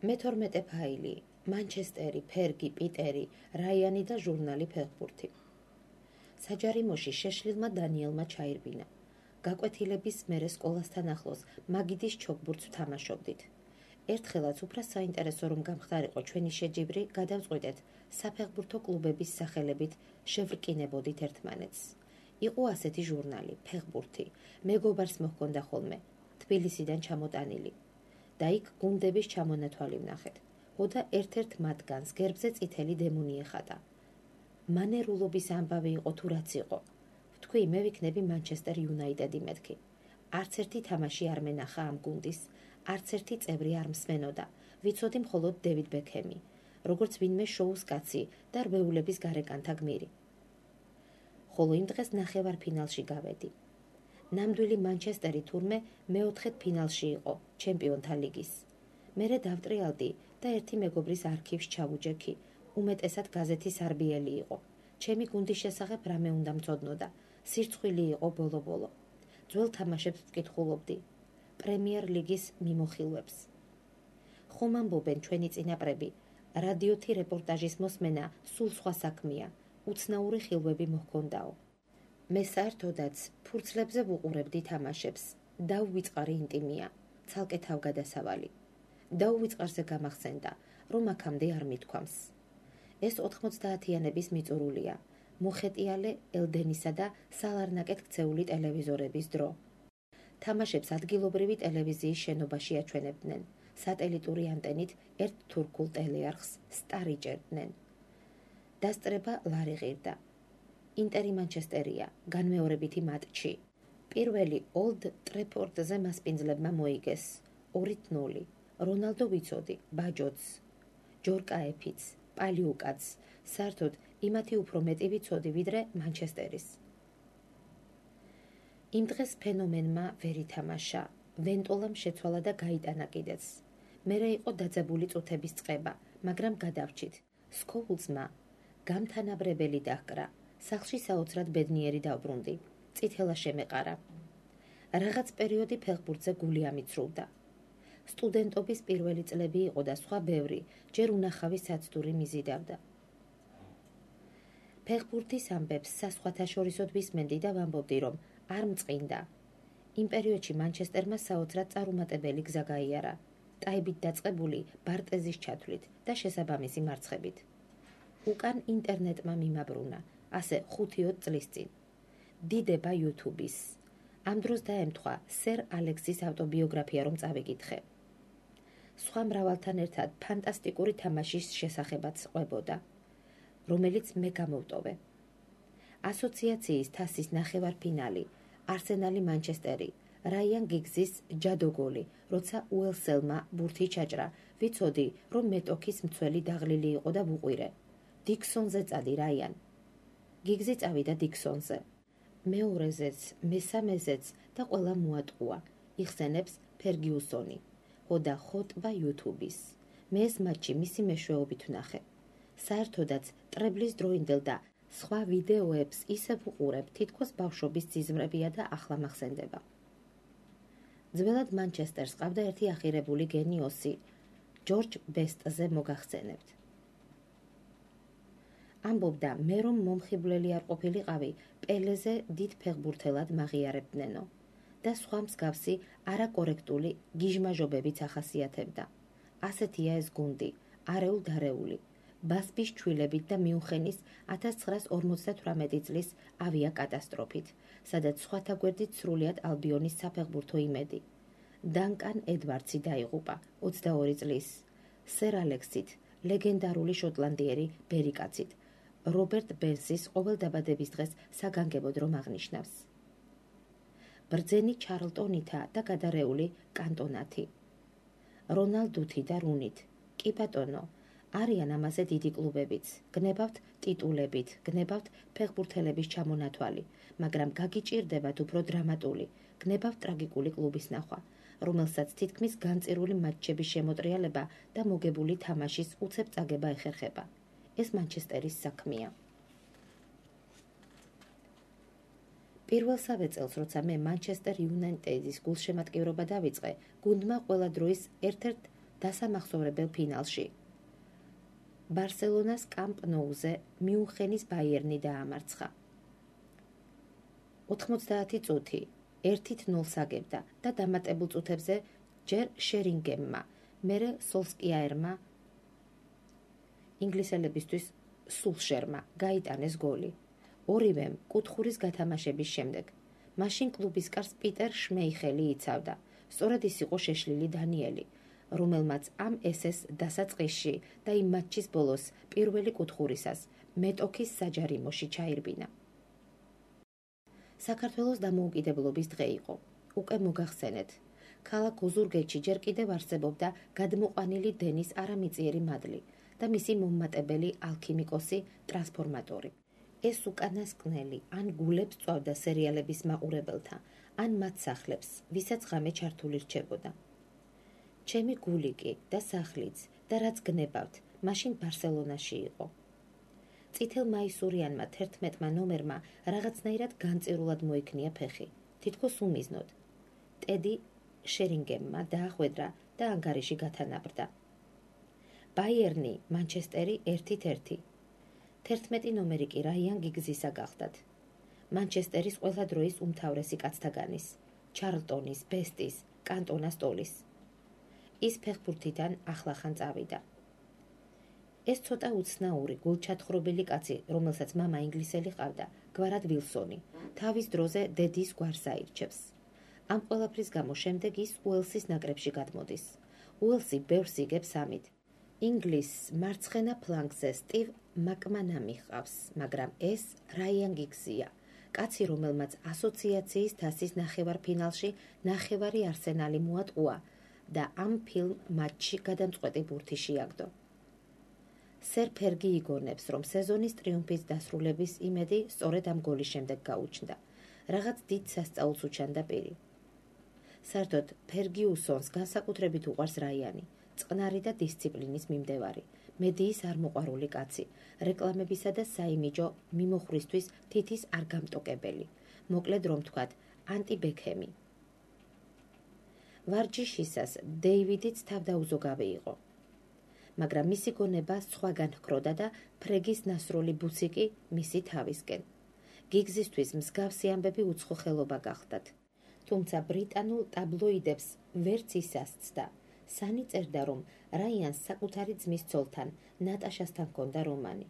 მე-12 ფაილი, მანჩესტერი, ფერგი, პიტერი, რაიანი და ჟურნალი ფეხბურთი. საჯარიმოში შეშლილმა დანიელმა ჩაირბინა. გაკვეთილების მერე სკოლასთან ახლოს მაგიდის ჩოგბურთს ვთამაშობდით. ერთხელაც უფრო საინტერესო რომ გამხდარიყო ჩვენი შეჯიბრი, გადავწყვიტეთ საფეხბურთო კლუბების სახელებით შევრკინებოდით ერთმანეთს. იყო ასეთი ჟურნალი, ფეხბურთი, მეგობარს მოჰქონდა ხოლმე, თბილისიდან ჩამოტანილი. და იქ გუნდების ჩამონათვალი ვნახეთ. ხოდა ერთ-ერთ მათგანს გერბზე წითელი დემონი ეხატა. მანერულობის ამბავი იყო თუ რაც იყო. ვთქვი, მე ვიქნები მანჩესტერ იუნაიტედი მეთქი. არც ერთი თამაში არ მენახა ამ გუნდის, არც ერთი წევრი არ მსმენოდა. ვიცოდი მხოლოდ დევიდ ბექემი, როგორც ვინმე შოუს კაცი და რვეულების გარეკანთა გმირი. ხოლო იმ დღეს ნახევარფინალში გავედი. ნამდვილი მანჩესტერი თურმე მეოთხედ ფინალში იყო ჩემპიონთა ლიგის. მერე დავტრიალდი და ერთი მეგობრის არქივს ჩავუჯექი. უმეტესად გაზეთის არბიელი იყო. ჩემი გუნდის შესახებ რამე უნდა მწოდნოდა. სირცხვილი იყო ბოლო-ბოლო. ძველ თამაშებს ვკითხულობდი. პრემიერ ლიგის მიმოხილვებს. ხომ ამბობენ ჩვენი წინაპრები, რადიოთი რეპორტაჟის მოსმენა სულ სხვა საქმეა, უცნაური ხილვები მოჰქონდაო. მე საერთოდაც ფურცლებზე ვუყურებდი თამაშებს. დაუვიწყარი ინტიმია, ცალკე თავგადასავალი. დაუვიწყარზე გამახსენდა, რომ აქამდე არ მithქვამს. ეს 90-იანების მიწურულია, მოხეტიალე ელდენისა და სალარნაკეთ ქცეული ტელევიზორების დრო. თამაშებს ადგილობრივი ტელევიზიის შენობაში აჩვენებდნენ, სატელიტური ანტენით ერთ თურქულ ტელეარხს სტარიჭერდნენ. დასწრება ლარი ღირდა. ინტერი მანჩესტერია, განმეორებითი მატჩი. პირველი ოლდ ტრეფორდზე მასპინძლებმა მოიგეს 2-0. რონალდო ვიცოდი, ბაჯოც, ჯორკა ეფიც, პალიუკაც, საერთოდ იმათი უფრო მეტი ვიცოდი, ვიდრე მანჩესტერის. იმ დღეს ფენომენმა ვერ ითამაშა, ვენტოლამ შეცვალა და გაიტანა კიდეც. მერე იყო დაძაბული წუთების წყება, მაგრამ გადავრჩით. სკოულსმა გამთანაბრებელი დაჰკრა, სახლში საოცრად ბედნიერი დავბრუნდი, წითელა შემეყარა. რაღაც პერიოდი ფეხბურთზე გული ამიცრუვდა. სტუდენტობის პირველი წლები იყო და სხვა ბევრი, ჯერ უნახავი საცდური მიზიდავდა. ფეხბურთის ამბებს საზღვათაშორისოდ ვისმენდი და ვამბობდი, რომ არ მწყინდა. იმ პერიოდში მანჩესტერმა საოცრად წარუმატებელი გზა გაიარა, ტაიბით დაწყებული ბარტეზის ჩათვლით და შესაბამისი მარცხებით. უკან ინტერნეტმა მიმაბრუნა, ასე 5-10 წლის წინ. დიდება YouTube-ის. ამ დროს დაემთხვა სერ ალექსის ავტობიოგრაფია რომ წავიკითხე. სხვა მრავალთან ერთად ფანტასტიკური თამაშის შესახებაც ყვებოდა, რომელიც მე გამოვტოვე. ასოციაციის თასის ნახევარფინალი, არსენალი მანჩესტერი, რაიან გიგზის ჯადოგოლი, როცა უელსელმა ბურთი ჩაჭრა, ვიცოდი, რომ მეტოქის მცველი დაღლილი იყო და ვუყვირე. დიქსონზე წადი რაიან. გიგზი წავიდა დიქსონზე. მეორეზეც, მესამეზეც და ყველა მოატყუა. იხსენებს ფერგიუსონი. ხოდა ხოტბა YouTube-ის. მე ეს მატჩი მისი მეშვეობით ვნახე. საერთოდაც ტრებლის დროინდელ და სხვა ვიდეოებს ისევ ვუყურებ, თითქოს ბავშვობის ძიზმრებია და ახლა მახსენდება. ძველად მანჩესტერს ყავდა ერთი ახირებული გენიოსი, ჯორჯ ბესტზე მოგახსენებთ. ამბობდა, მე რომ მომხიბვლელი არ ყოფილიყავი, პელეზე დიდ ფეხბურთელად მაღიარებდნენო და სხვა მსგავსი არაკორექტული გიჟმაჟობებიც ახასიათებდა. ასეთია ეს გუნდი, არეულ-დარეული, ბასბის ჩვილებით და მიუნხენის 1958 წლის ავიაკატასტროფით, სადაც სხვათა გვერდით სრულიად ალბიონის საფეხბურთო იმედი. დანკან ედვარდსი დაიღუპა 22 წლის, სერ ალექსით, ლეგენდარული შოტლანდიერი ბერიკაცით, რობერტ ბენსის ყოველ დაბადების დღეს საგანგებოდ რომ აღნიშნავს. ბრძენი ჩარლტონითა და გადარეული კანტონათი. რონალდუთი და რუნით, კი ბატონო, არიან ამაზე დიდი კლუბებიც, გნებავთ ტიტულებით, გნებავთ ფეხბურთელების ჩამონათვალი, მაგრამ გაგიჭირდებათ უფრო დრამატული, გნებავთ ტრაგიკული კლუბის ნახვა, რომელსაც თითქმის განწირული მატჩების შემოტრიალება და მოგებული თამაშის უცებ წაგება ეხერხება. ეს მანჩესტერის საქმეა. პირველსავე წელს, როცა მე მანჩესტერ იუნაიტედის გულშემატკივრობა დავიწყე, გუნდმა ყველა დროის ერთ-ერთ დასამახსოვრებელ ფინალში. ბარსელონას კამპ ნოუზე მიუნხენის ბაიერნი დაამარცხა. 90 წუთი 1-0 აგებდა და დამატებულ წუთებზე ჯერ შერინგემმა, მერე სოლსკიაერმა, ინგლისელებისთვის სულშერმა გაიტანეს გოლი. ორივემ კუთხურის გათამაშების შემდეგ. მაშინ კლუბის კარს პიტერ შმეიხელი იცავდა. სწორედ ის იყო შეშლილი დანიელი, რომელმაც ამ ესეს დასაწყისში და იმ მატჩის ბოლოს პირველი კუთხურისას მეტოქის საჯარიმოში ჩაირბინა. საქართველოს დამოუკიდებლობის დღე იყო. უკვე მოგახსენეთ. ქალაქ ოზურგეთში ჯერ კიდევ არსებობდა გადმოყვანილი დენის არამიწიერი მადლი და მისი მომმატებელი ალქიმიკოსი ტრანსფორმატორი. ეს უკანასკნელი ან გულებს წვავდა სერიალების მაყურებელთა, ან მათ სახლებს, ვისაც ღამე ჩართული რჩებოდა. ჩემი გული კი და სახლიც და რაც გნებავთ, მაშინ ბარსელონაში იყო. წითელ მაისურიანმა 11-მა ნომერმა რაღაცნაირად განწირულად მოიქნია ფეხი, თითქოს უმიზნოდ. ტედი შერინგემმა დაახვედრა და ანგარიში გათანაბრდა. ბაიერნი, მანჩესტერი 1-1. 11 ნომერი კი რაიან გიგზისა გახდათ. მანჩესტერის ყველა დროის უმთავრესი კაცთაგანის, ჩარლტონის, ბესტის, კანტონას ტოლის. ის ფეხბურთიდან ახლახან წავიდა. ეს ცოტა უცნაური, გულჩათხრობილი კაცი, რომელსაც მამა ინგლისელი ყავდა, გვარად ვილსონი, თავის დროზე დედის გვარს აირჩევს. ამ ყველაფრის გამო შემდეგ ის უელსის ნაკრებში გადმოდის. უელსი ბევრს იგებს ამით. ინგლისს მარცხენა ფლანგზე სტივ მაკმანამი ჰყავს, მაგრამ ეს რაიან გიგზია, კაცი, რომელმაც ასოციაციის თასის ნახევარფინალში ნახევარი არსენალი მოატყუა და ამ ფილმ მატჩში გადამწყვეტი ბურთი შეაგდო. სერ ფერგი იგონებს, რომ სეზონის ტრიუმფის დასრულების იმედი სწორედ ამ გოლის შემდეგ გაუჩნდა. რაღაც დიდ სასწაულს უჩანდა პირი. საერთოდ ფერგიუსონს განსაკუთრებით უყვარს რაიანი, წყნარი და დისციპლინის მიმდევარი, მედიის არმოყვარული კაცი, რეკლამებისა და საიმიჯო მიმოხვრისთვის თითის არ გამტოკებელი, მოკლედ რომ თქვათ, ანტი ბექემი. ვარჯიშისას დეივიდიც თავდაუზოგავი იყო. მაგრამ მისი გონება სხვაგან ჰქროდა და ფრეგის ნასროლი ბუცი კი მისი თავისკენ. გიგზისთვის მსგავსი ამბები უცხო ხელობა გახდათ. თუმცა ბრიტანულ ტაბლოიდებს ვერც ისასცდა. სანი წერდა, რომ რაიანს საკუთარი ძმის ცოლთან, ნატაშასთან ჰქონდა რომანი.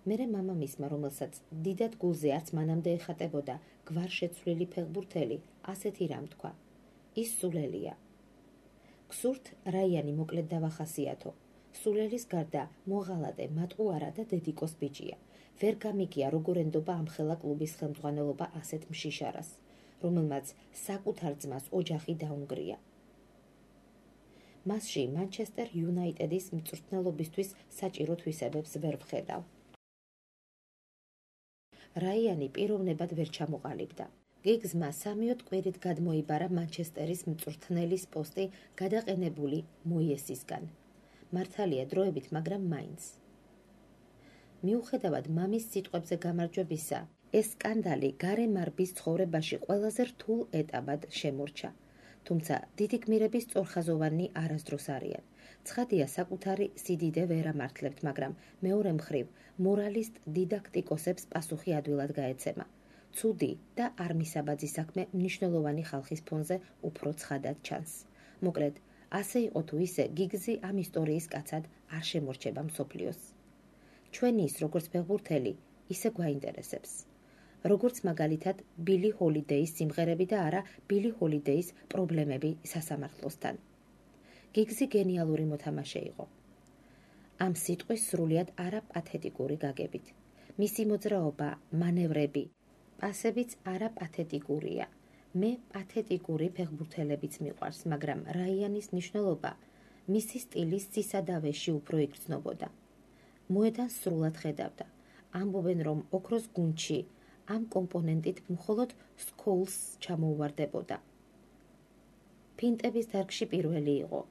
მერე მამამისმა, რომელსაც დიდად გულზე არც მანამდე ეხატებოდა გვარშეცვლილი ფეხბურთელი, ასეთი რამ თქვა. ის სულელია. გსურთ რაიანი მოკლედ დავახასიათო. სულელის გარდა მოღალატე, მატყუარა და დედიკოს ბიჭია. ვერ გამიგია როგორ ენდობა ამ ხელა კლუბის ხელმძღვანელობა ასეთ მშიშარას, რომელმაც საკუთარ ძმას ოჯახი დაუნგრია. მასში მანჩესტერ იუნაიტედის მწვრთნელობისთვის საჭირო თვისებებს ვერ ვხედავ. რაიანი პიროვნებად ვერ ჩამოყალიბდა. გიგზმა 3 კვირით გადმოიბარა მანჩესტერის მწვრთნელის პოსტი გადაყენებული მოიესისგან. მართალია დროებით, მაგრამ მაინც. მიუხედავად მამის სიტყვებზე გამარჯვებისა, ეს სკანდალი გარემარბის ცხოვრებაში ყველაზე რთულ ეტაპად შემორჩა. თუმცა დიდი გმირები სწორხაზოვანი არასდროს არიან. ცხადია, საკუთარი სიდიდე ვერ ამართლებთ, მაგრამ მეორე მხრივ მორალისტ დიდაქტიკოსებს პასუხი ადვილად გაეცემა. ცუდი და არ მისაბაძი საქმე მნიშვნელოვანი ხალხის ფონზე უფრო ცხადად ჩანს. მოკლედ, ასე იყო თუ ისე, გიგზი ამ ისტორიის კაცად არ შემორჩება მსოფლიოს. ჩვენი ის, როგორც ფეხბურთელი, ისე გვაინტერესებს. როგორც მაგალითად ბილი ჰოლიდეის სიმღერები და არა ბილი ჰოლიდეის პრობლემები სასამართლოსთან. გიგზი გენიალური მოთამაშე იყო. ამ სიტყვის სრულიად არაპათეტიკური გაგებით. მისი მოძრაობა, მანევრები, პასებიც არაპათეტიკურია. მე პათეტიკური ფეხბურთელებიც მიყვარს, მაგრამ რაიანის მნიშვნელობა მისი სტილის სისადავეში უფრო იგრძნობოდა. მოედანს სრულად ხედავდა. ამბობენ, რომ ოქროს გუნდში ამ კომპონენტით მხოლოდ სკოულს ჩამოუვარდებოდა. ფინტების დარგში პირველი იყო.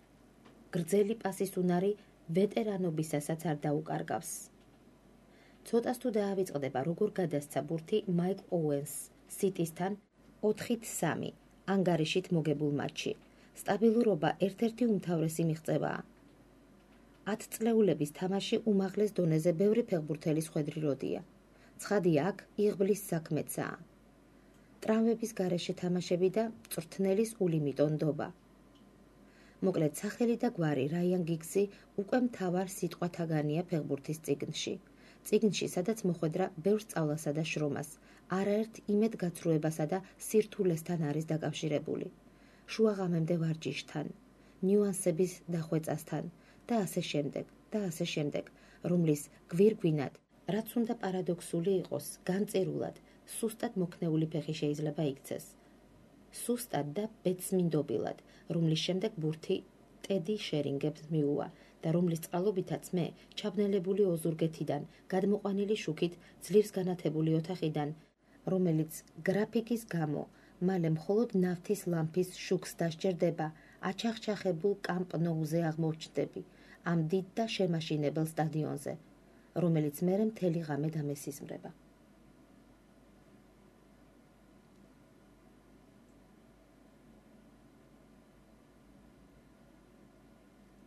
გრძელი პასის უნარი ვეტერანობისასაც არ დაუკარგავს. ცოტას თუ დაავიწყდება, როგორ გადასცა ბურთი მაიკლ ოუენს სიტისთან 4-3 ანგარიშით მოგებულ მატჩში. სტაბილურობა ერთ-ერთი უმთავრესი მიღწევაა. 10 წლეულების თამაში უმაღლეს დონეზე ბევრი ფეხბურთელის ხვედრი როდია. ცხადია, აქ იღბლის საქმეცაა. ტრამვების გარეშე თამაშები და მწვრთნელის ულიმიტო ნდობა. მოკლედ, სახელი და გვარი რაიან გიგზი უკვე მთავარ სიტყვათაგანია ფეხბურთის წიგნში. წიგნში, სადაც მოხვედრა ბევრ სწავლასა და შრომას, არაერთ იმედგაცრუებასა და სირთულესთან არის დაკავშირებული. შუაღამემდე ვარჯიშთან, ნიუანსების დახვეწასთან და ასე შემდეგ, რომლის გვირგვინად, რაც უნდა პარადოქსული იყოს, განწირულად, სუსტად მოქნეული ფეხი შეიძლება იქცეს. სუსტად და ბედწმინდობილად, რომლის შემდეგ ბურთი ტედი შერინგებს მიუვა და რომლის წყალობითაც მე, ჩაბნელებული ოზურგეთიდან, გადმოყვანილი შუქით, ძლივს განათებული ოთახიდან, რომელიც გრაფიკის გამო მალე მხოლოდ ნავთის ლამპის შუქს დასჯერდება, აჩახჩახებულ კამპ ნოუზე აღმოჩნდები, ამ დიდ და შემაშინებელ სტადიონზე, რომელიც მერე მთელი ღამე დამესიზმრება.